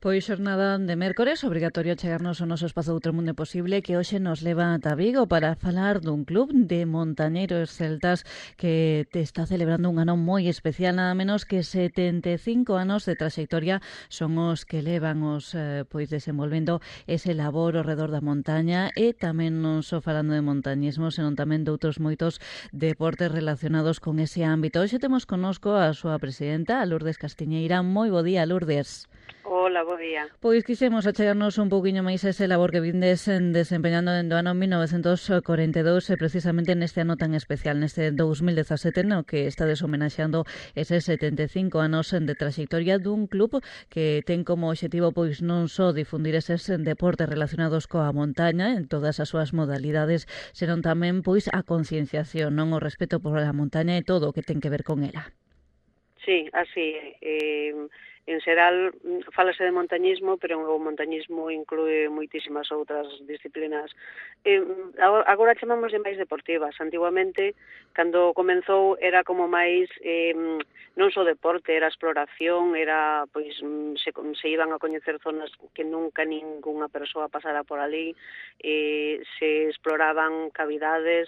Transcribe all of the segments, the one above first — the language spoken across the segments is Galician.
Pois xornada de mércores, obrigatorio chegarnos ao noso espazo Outro Mundo Posible, que hoxe nos leva ata Vigo para falar dun club de montañeiros celtas que te está celebrando un ano moi especial, nada menos que 75 anos de trayectoria son os que levan os pois desenvolvendo ese labor ao redor da montaña e tamén non só falando de montañismo, senón tamén de outros moitos deportes relacionados con ese ámbito. Hoxe temos connosco a súa presidenta, a Lourdes Castiñeira. Moi bo día, Lourdes. Hola, bo día. Pois quixemos achegarnos un pouquiño máis a ese labor que vindes desempeñando dende o ano 1942 e precisamente neste ano tan especial, neste 2017, no que estades homenaxeando eses 75 anos de trayectoria dun club que ten como obxectivo pois non só difundir eses deportes relacionados coa montaña en todas as súas modalidades, senón tamén pois a concienciación, non o respeto por a montaña e todo o que ten que ver con ela. Sí, así en xeral fálase de montañismo, pero o montañismo inclúe moitísimas outras disciplinas. Agora chamamos de máis deportivas. Antiguamente, cando comenzou, era como máis non só deporte, era exploración, era pois se iban a coñecer zonas que nunca ningunha persoa pasara por ali, se exploraban cavidades,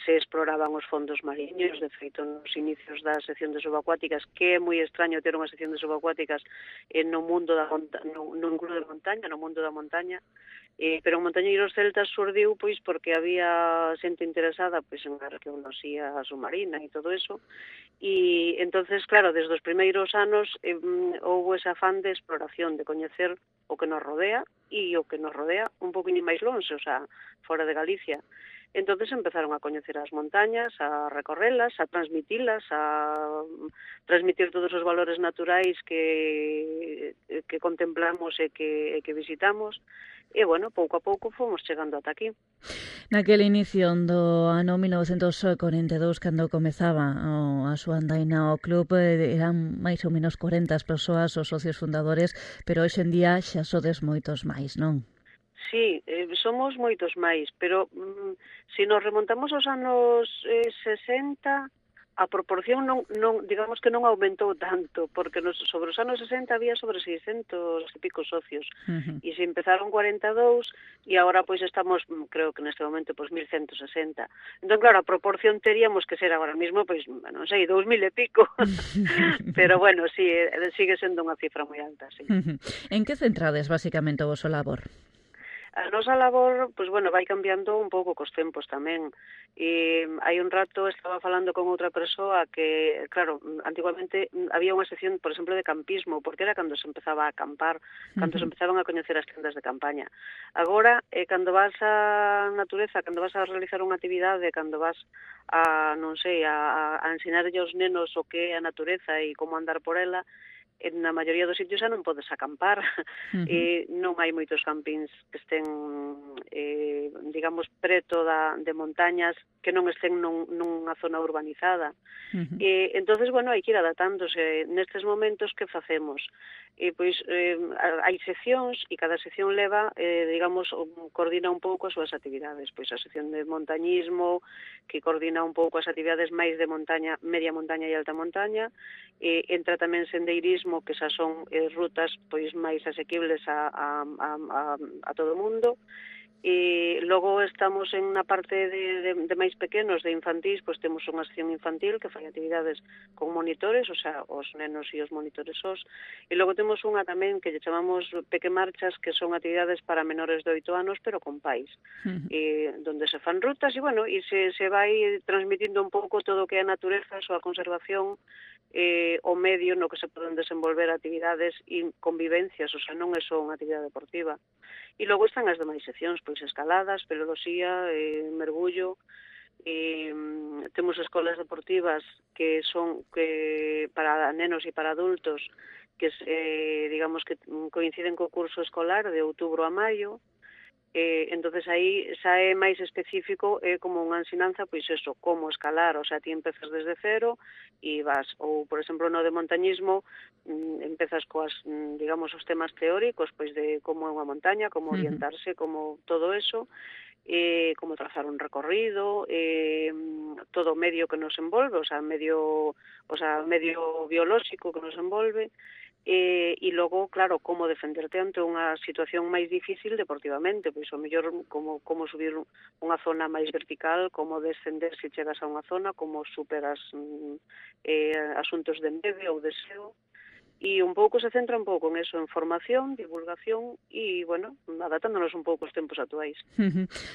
se exploraban os fondos mariños. De feito, nos inicios da sección de subacuáticas, que é moi extraño ter unha sección de subacuáticas no mundo no club de montaña, no mundo da montaña, pero en Montañeiros Celtas surdiu pois porque había xente interesada pois en arqueoloxía submarina e todo eso, e entonces, claro, desde os primeiros anos houve ese afán de exploración, de coñecer o que nos rodea e o que nos rodea un poquinho máis longe, o sea, fora de Galicia. Entonces empezaron a coñecer as montañas, a recorrelas, a transmitilas, a transmitir todos os valores naturais que contemplamos e que visitamos. E, bueno, pouco a pouco fomos chegando ata aquí. Naquele inicio do ano 1942, cando comezaba a súa andaina ao club, eran máis ou menos 40 as persoas, os socios fundadores, pero hoxe en día xa sodes moitos máis, non? Sí, somos moitos máis, pero se nos remontamos aos anos 60, a proporción non digamos que non aumentou tanto, porque sobre os anos 60 había sobre 600 e pico socios, e se empezaron 42 e agora pois estamos, creo que neste momento, pois 1160. Entón, claro, a proporción teríamos que ser agora mesmo, pois, non sei, 2000 e pico. Pero, bueno, sí, sigue sendo unha cifra moi alta, sí. En que centrades, basicamente, o voso labor? A nosa labor, pois, bueno, vai cambiando un pouco cos tempos tamén. E hai un rato estaba falando con outra persoa que, claro, antiguamente había unha sección, por exemplo, de campismo, porque era cando se empezaba a acampar, cando se empezaban a coñecer as tendas de campaña. Agora, cando vas á natureza, cando vas a realizar unha actividade, cando vas a, non sei, a ensinarlle aos nenos o que é a natureza e como andar por ela, na maioría dos sitios xa non podes acampar. Non hai moitos campings que estén digamos preto de montañas que non estén nunha zona urbanizada. Entonces, bueno, hai que ir adaptándose. Nestes momentos, que facemos? Pois hai seccións e cada sección leva, digamos, coordina un pouco as súas actividades. Pois a sección de montañismo, que coordina un pouco as actividades máis de montaña, media montaña e alta montaña. Entra tamén sendeirismo, que xa son rutas pois máis asequibles a todo o mundo. E logo estamos en unha parte de máis pequenos, de infantís, pois temos unha sección infantil que fai actividades con monitores, o sea, os nenos e os monitores sós, e logo temos unha tamén que lle chamamos pequemarchas, que son actividades para menores de 8 anos, pero con pais, donde se fan rutas, e, bueno, e se vai transmitindo un pouco todo o que é a natureza, a súa conservación, o medio no que se poden desenvolver actividades e convivencias, o sea, non é só unha actividade deportiva. E logo están as demais seccións, pois escaladas, peloloxía, mergullo, temos escolas deportivas que son para nenos e para adultos, que digamos que coinciden co curso escolar de outubro a maio. Entonces aí xa é máis específico, é como unha ensinanza, pois eso, como escalar, o sea, ti empezas desde cero e vas, ou, por exemplo, no de montañismo, empezas coas, digamos, os temas teóricos, pois de como é unha montaña, como orientarse, como todo eso, como trazar un recorrido, todo o medio que nos envolve, o sea, medio biolóxico que nos envolve, e logo, claro, como defenderte ante unha situación máis difícil deportivamente, pois o mellor como subir unha zona máis vertical, como descender se chegas a unha zona, como superas asuntos de neve ou de xeo, e un pouco se centra un pouco en eso, en formación, divulgación e, bueno, adaptándonos un pouco aos tempos actuais.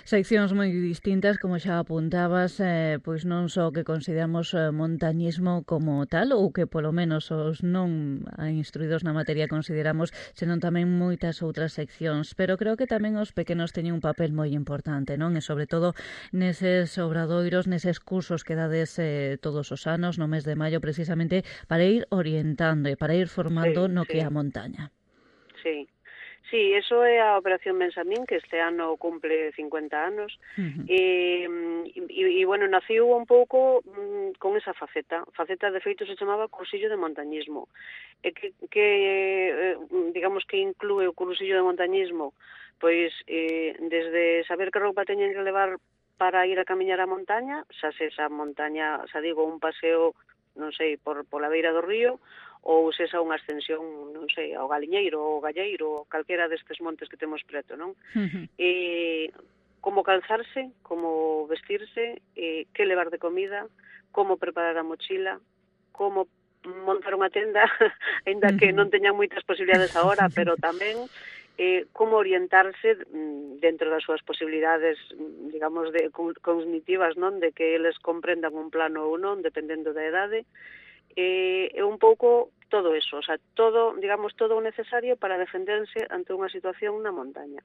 Seccións moi distintas, como xa apuntabas, pois non só que consideramos montañismo como tal, ou que polo menos os non instruídos na materia consideramos, senón tamén moitas outras seccións. Pero creo que tamén os pequenos teñen un papel moi importante, non? E sobre todo neses obradoiros, neses cursos que dades todos os anos, no mes de maio, precisamente para ir orientando e para ir formando no que é a montaña. Sí. Sí, eso é a Operación Bensamín, que este ano cumple 50 anos, e bueno, naciu un pouco con esa faceta de feito se chamaba cursillo de montañismo, e que digamos que inclúe o cursillo de montañismo, pois desde saber que roupa teñen que levar para ir a camiñar a montaña, xa se esa montaña, xa digo, un paseo, non sei, pola beira do río, ou se esa unha ascensión, non sei, ao Galiñeiro, ou ao Galleiro, ou calquera destes montes que temos preto, non? Como calzarse, como vestirse, que levar de comida, como preparar a mochila, como montar unha tenda, aínda que non teñan moitas posibilidades agora, pero tamén como orientarse dentro das súas posibilidades, digamos, cognitivas, non? De que eles comprendan un plano ou non, dependendo da idade, é un pouco todo eso, o sea, todo, digamos, todo o necesario para defenderse ante unha situación na montaña.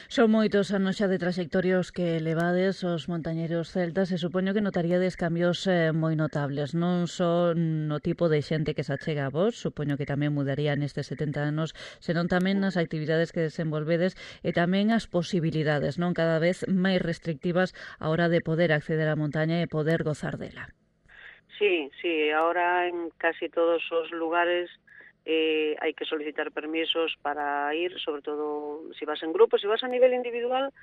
Son moitos anos xa de trayectorios que levades os montañeros celtas e supoño que notaríades cambios moi notables, non só no tipo de xente que se achega a vos, supoño que tamén mudaría nestes 70 anos, senón tamén nas actividades que desenvolvedes e tamén as posibilidades, non cada vez máis restrictivas a hora de poder acceder á montaña e poder gozar dela. Sí, ahora en casi todos os lugares hai que solicitar permisos para ir, sobre todo se vas en grupo, se vas a nivel individual,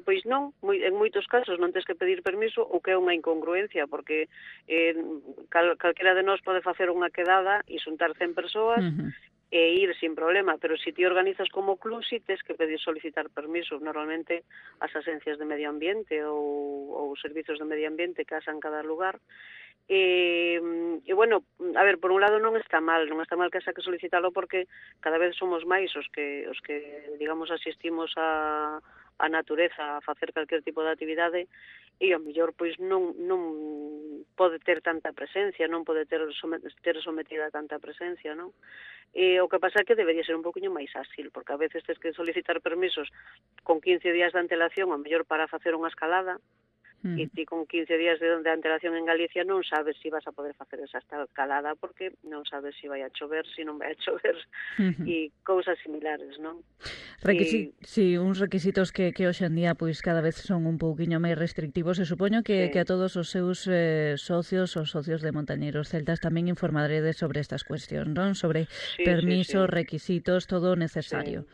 pois non, en moitos casos non tens que pedir permiso, o que é unha incongruencia, porque calquera de nós pode facer unha quedada e xuntar 100 persoas, e ir sin problema, pero se ti organizas como club, si tes que pedir solicitar permiso. Normalmente as agencias de medio ambiente ou servizos de medio ambiente que asan cada lugar. E bueno, a ver, por un lado non está mal que asa que solicitalo, porque cada vez somos máis os que digamos, asistimos a natureza, a facer calquer tipo de actividade, e ao mellor pois non pode ter tanta presencia, non pode ter sometida a tanta presencia, non? O que pasa é que debería ser un poquinho máis áxil, porque a veces tens que solicitar permisos con 15 días de antelación, ao mellor para facer unha escalada, e ti con 15 días de antelación en Galicia non sabes se vas a poder facer esa escalada, porque non sabes se vai a chover, se non vai a chover, e cousas similares, non? Sí, uns requisitos que hoxe en día pois cada vez son un pouquiño máis restrictivos, e supoño que a todos os seus socios, os socios de montañeros celtas, tamén informaredes sobre estas cuestións, non? Sobre permisos, requisitos, todo o necesario.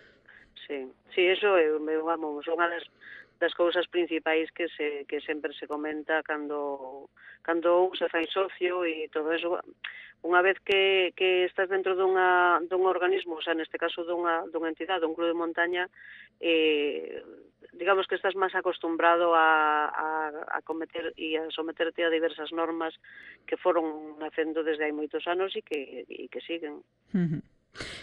Sí, eso é, vamos, unha das cousas principais que sempre se comenta cando un se fai socio e todo eso. Unha vez que estás dentro dun organismo, o sea, neste caso dunha entidade, dun club de montaña, digamos que estás máis acostumbrado a cometer e a someterte a diversas normas que foron nacendo desde hai moitos anos e que siguen.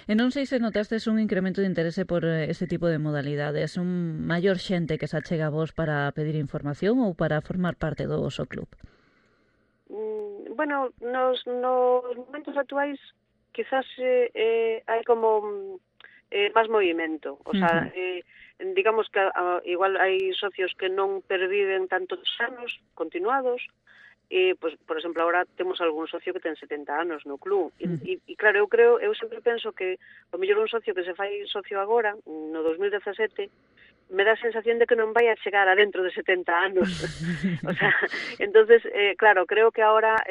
E non sei se notastes un incremento de interese por ese tipo de modalidades, un maior xente que se achega a vos para pedir información ou para formar parte do vosso club? Bueno, nos momentos actuais quizás hai como máis movimento, o sea, digamos que igual hai socios que non perviven tantos anos continuados, pues, por exemplo, agora temos algún socio que ten 70 anos no club, e claro, eu sempre penso que o mellor un socio que se fai socio agora, no 2017, me dá a sensación de que non vai a chegar a dentro de 70 anos. O sea, entonces, claro, creo que ahora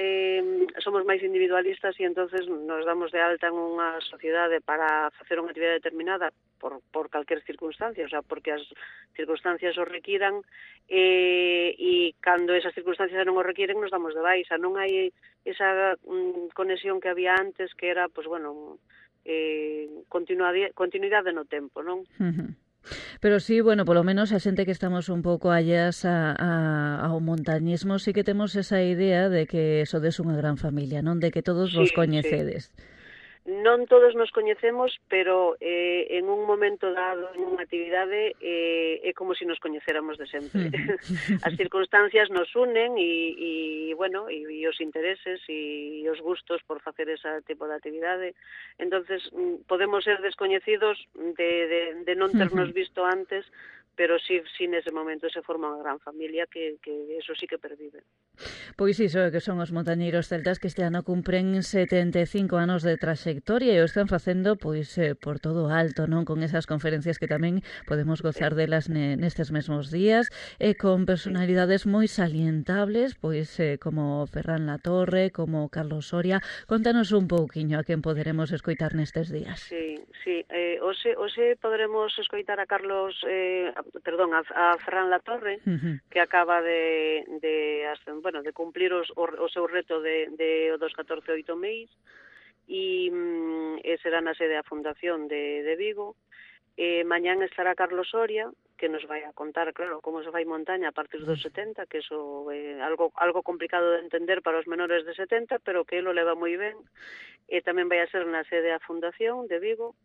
somos máis individualistas e entonces nos damos de alta en unha sociedade para facer unha actividade determinada por calquer circunstancia, o sea, porque as circunstancias o requiran, e cando esas circunstancias non o requiren nos damos de baixa. Non hai esa conexión que había antes, que era, pues bueno, continuidade no tempo, non? Pero sí, bueno, polo menos a xente que estamos un pouco allás ao montañismo sí que temos esa idea de que sodes unha gran familia, non? De que todos vos coñecedes. Sí. Non todos nos coñecemos, pero en un momento dado, en unha actividade, é como se nos coñecéramos de sempre. As circunstancias nos unen e bueno, e os intereses e os gustos por facer ese tipo de actividade. Entonces, podemos ser descoñecidos de non ternos visto antes, pero sí nese momento se forma unha gran familia que eso sí que pervive. Pois iso que son os montañeiros celtas que este ano cumpren 75 anos de traxectoria e o están facendo pois por todo alto, non? Con esas conferencias que tamén podemos gozar delas nestes mesmos días e con personalidades moi salientables, pois como Ferran Latorre, como Carlos Soria. Contanos un pouquiño a quen poderemos escoitar nestes días. Sí. Hoxe poderemos escoitar a Carlos, a Ferran Latorre, que acaba de cumplir o seu reto dos 14 meis e será na sede da Fundación de Vigo. Mañán estará Carlos Soria, que nos vai a contar, claro, como se fai montaña a partir dos 70, que iso é algo complicado de entender para os menores de 70, pero que ele o leva moi ben. Tamén vai a ser na sede da Fundación de Vigo.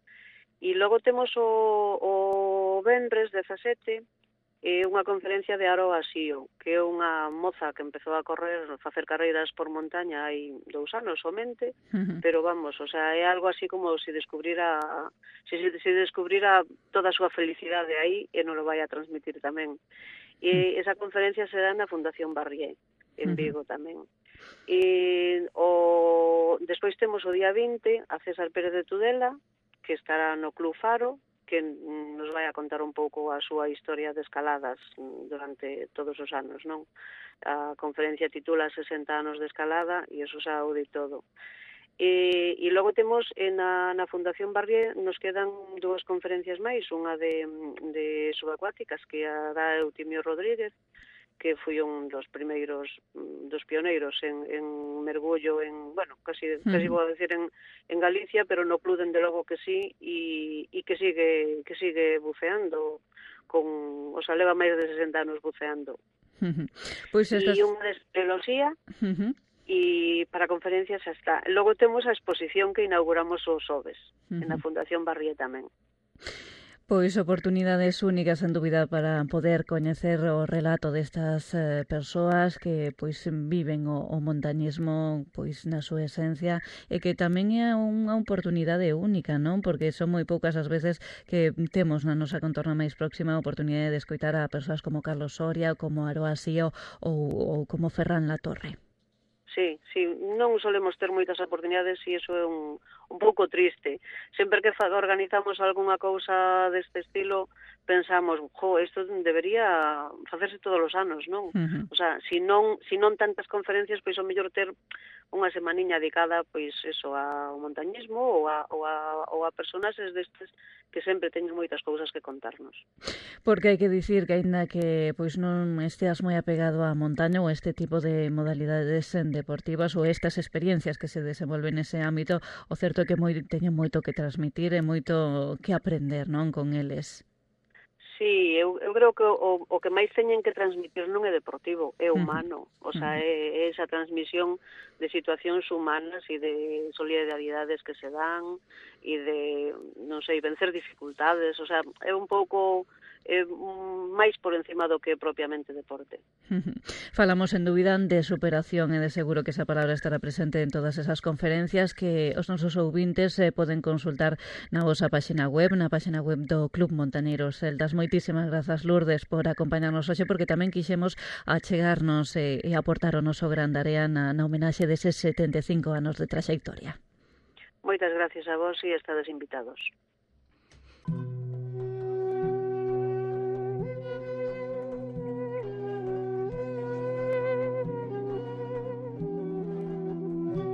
E logo temos o venres 17, unha conferencia de Aroa Sío, que é unha moza que empezou a facer carreiras por montaña hai 2 anos somente, pero vamos, o sea, é algo así como se descubrira toda a súa felicidade aí e non lo vai a transmitir tamén. E esa conferencia será na Fundación Barrié, en Vigo tamén. Despois temos o día 20 a César Pérez de Tudela, que estará no Club Faro, que nos vai a contar un pouco a súa historia de escaladas durante todos os anos, non? A conferencia titula 60 anos de escalada e eso xa o di todo. E logo temos na Fundación Barrié nos quedan 2 conferencias máis, unha de subacuáticas que a dá Eutimio Rodríguez, que foi un dos pioneiros en mergullo casi vou a decir en Galicia, pero no club dende logo que sí, e que sigue buceando leva máis de 60 anos buceando. Pois e unha de espeleoloxía e para conferencias xa está. Logo temos a exposición que inauguramos os xoves en a Fundación Barrié tamén. Pois oportunidades únicas, en dúbida, para poder coñecer o relato destas persoas que pois viven o montañismo pois na súa esencia e que tamén é unha oportunidade única, non? Porque son moi poucas as veces que temos na nosa contorna máis próxima a oportunidade de escoitar a persoas como Carlos Soria, como Aroa Sío ou como Ferran Latorre. Sí, non solemos ter moitas oportunidades e iso é un pouco triste. Sempre que organizamos algunha cousa deste estilo, pensamos, isto debería facerse todos os anos, non? O sea, se non tantas conferencias, pois o mellor ter unha semaniña dedicada, pois eso, ao montañismo ou a personaxes destes que sempre teñen moitas cousas que contarnos. Porque hai que dicir que aínda que pois non esteas moi apegado á montaña ou este tipo de modalidades deportivas ou estas experiencias que se desenvolven nese ámbito, o certo é que teñen moito que transmitir e moito que aprender, non, con eles. Sí, eu creo que o que máis teñen que transmitir non é deportivo, é humano. O sea, é esa transmisión de situacións humanas e de solidaridades que se dan e de, non sei, vencer dificultades. O sea, é un pouco máis por encima do que propiamente deporte. Falamos en dúbida de superación e de seguro que esa palabra estará presente en todas esas conferencias que os nosos ouvintes poden consultar na vosa páxina web, do Club Montañeiros Celtas. Moitísimas grazas, Lourdes, por acompañarnos hoxe, porque tamén quixemos achegarnos e aportar o noso gran area na homenaxe deses 75 anos de traxectoria. Moitas gracias a vos e estades invitados.